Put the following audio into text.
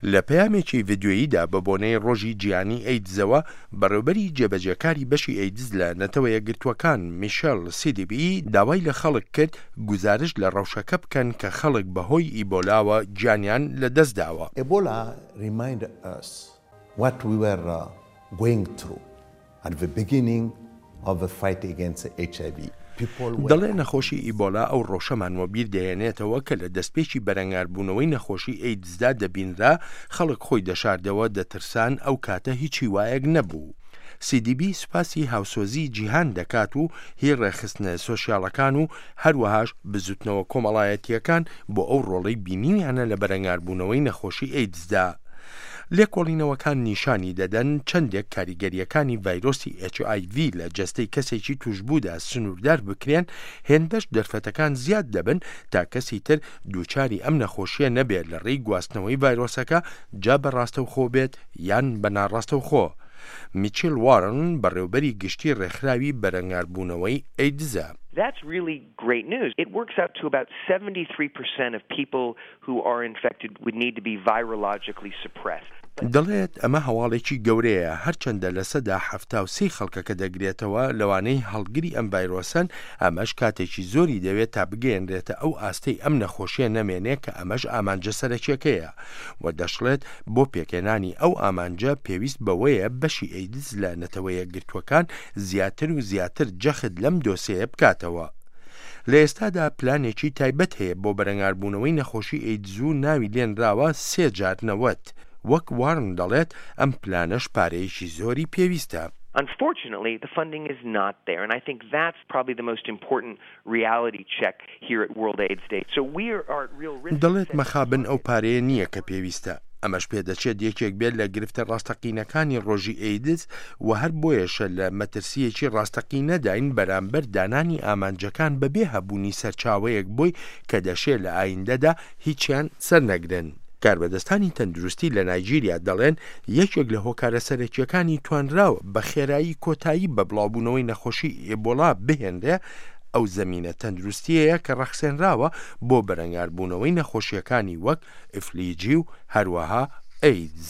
لە پەیامێکی ڤیدیۆییدا بە بۆنەی ڕۆژی جیهانی ئەیدزەوە، بەڕێوبەری جێبەجێکاری بەشی ئەیدز لە نەتەوە یەکگرتووەکان میشێل سیدیبی داوای لە خەڵک کرد گوزارشت لە ڕەوشەکە بکەن کە خەڵک بەهۆی ئیبۆلاوە گیانیان لەدەستداوە. Ebola remind us what we were going through at the beginning of the fight against HIV. People were. دەڵێ نەخۆشی ئیبۆلا ئەو ڕەوشەمان وەبیر دەهێنێتەوە کە لە دەستپێکی بەرەنگاربوونەوەی نەخۆشی ئەیدزدا دەبینرا، خەڵک خۆی دەشاردەوە، دەترسان، ئەو کاتە هیچ هیوایەک نەبوو. سیدیبی سوپاسی هاوسۆزیی جیهان دەکات و هی ڕێکخستنە سۆشیالەکان و هەروەهاش بزوتنەوە کۆمەڵایەتییەکان بۆ ئەو ڕۆڵەی بینیویانە لە بەرەنگاربوونەوەی نەخۆشی ئەیدزدا. لێکۆڵینەوەکان نیشانی دەدەن چەندێک کاریگەرییەکانی ڤایرۆسی HIV لە جەستەی کەسێکی تووشبوودا سنووردار بکرێن، هێندەش دەرفەتەکان زیاد دەبن تا کەسی تر دووچاری ئەم نەخۆشییە نەبێت لە ڕێی گواستنەوەی ڤایرۆسەکە جا بە ڕاستەوخۆ بێت یان بە ناڕاستەوخۆ. میچیل وارن، بەڕێوبەری گشتی ڕێکخراوی بەرەنگاربوونەوەی ئەیدزە. That's really great news. It works out to about 73% of people who are infected would need to be virologically suppressed. دەڵێت ئەمە هەواڵێکی گەورەیە، هەرچەندە 73% ی خەڵکەکە دەگرێتەوە لەوانەی هەڵگری ئەم ڤایرۆسەن، ئەمەش کاتێکی زۆری دەوێت تا بگەیەنرێتە ئەو ئاستەی ئەم نەخۆشیە نەمێنێ کە ئەمەش ئامانجە سەرەکیەکەیە و دەشڵێت بۆ پێکهێنانی ئەو ئامانجە پێویست بەوەیە بەشی ئەیدز لە نەتەوەیەکگرتووەکان زیاتر و زیاتر جەخت لەم دۆسێیە بکاتەوە. لە ئێستادا پلانێکی تایبەت هەیە بۆ بەرەنگاربوونەوەی نەخۆشی ئەیدز و ناوی لێنراوە سێ جار 90. وەک وارن دەڵێت ئەم پلانەش پارەیەکی زۆری پێویستە. Unfortunately, the funding is not there and I think that's probably the most important reality check here at World AIDS Day. So we are at real risk. دەڵێت مەخابن ئەو پارەیە نییە کە پێویستە. ئەمەش پێدەچێت یەکێک بێت لە گرفتە ڕاستەقینەکانی ڕۆژی ئەیدز و هەر بۆیەشە لە مەترسییەکی ڕاستەقینەداین بەرامبەر دانانی ئامانجەکان بەبێ هەبوونی سەرچاوەیەک بۆی کە دەشێ لە ئایندەدا هیچیان سەرنەگرن. کاربەدەستانی تەندروستی لە نایجیریا دەڵێن یەکێک لە هۆکارە سەرەکییەکانی توانراوە بە خێرایی کۆتایی بە بڵاوبوونەوەی نەخۆشی ئێبۆلا بهێنرێ ئەو زەمینە تەندروستییەیە کە ڕەخسێنراوە بۆ بەرەنگاربوونەوەی نەخۆشییەکانی وەک ئیفلیجی و هەروەها ئەیدز.